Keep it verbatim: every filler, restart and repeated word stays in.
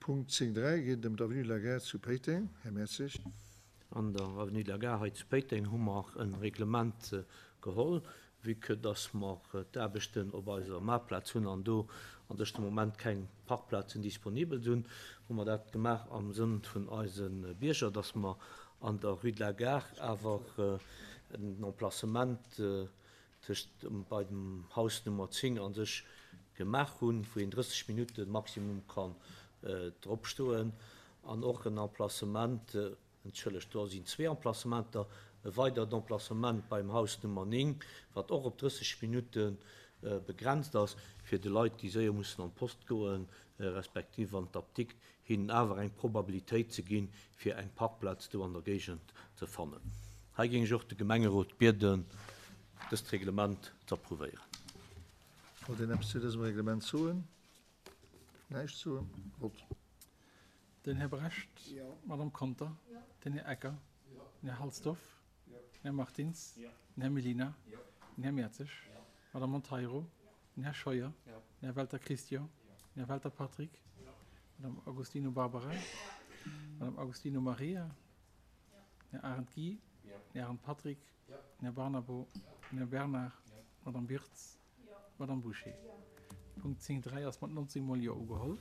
Punkt zéng dräi geet et ëm d'Avenue de la Gare zu Péiteng. Här Mertzig. An der Avenue de la Gare hei zu Péiteng hu mer e Reglement geholl, vue que dass mer d'Aarbechten op eiser Maartplaz hunn an do an sech de Moment keng Parkplazen disponibel sinn, hu mer dat gemaach am Sënn vun eise Bierger, dass mer an der Rue de la Gare awer en Emplacement tëscht bei dem Haus Nummer zéng an sech gemaach hunn, wou een drësseg Minutte maximum kann drop stoen, an och en Emplacement, entschëllegt, do sinn zwee Emplacementer, e weidert Emplacement beim Haus Nummer néng, wat och op drësseg Minutte begrenzt ass, fir de Leit, déi séier mussen an d'Post goen, respektiv an d'Apdikt, hinnen awer eng Probabilitéit ze ginn, fir eng Parkplaz do an der Géigend ze fannen. Hei géing ech och de Gemengerot bieden, dëst Reglement ze approuvéieren. Wollt een eppes zu dësem Reglement soen? Näischt soen? Vott. Den Här Brecht. D'Madame Conter. Den Här Ecker. Den Här Halsdorf. Den Här Martins. Den Här Mellina. Den Här Mertzig. D'Madame Monteiro. Den Här Scheuer. Den Här Welter Christian. Den Här Welter Patrick. D'Madame Agostino Barbara. D'Madame Agostino Maria. Den Här Arendt Guy. Den Här Arendt Patrick. Den Här Barnabo. Den Här Bernard. D'Madame Wirtz. D'Madame Bouché. Punkt zéng dräi ass mat nonzéng mol Jo ugeholl.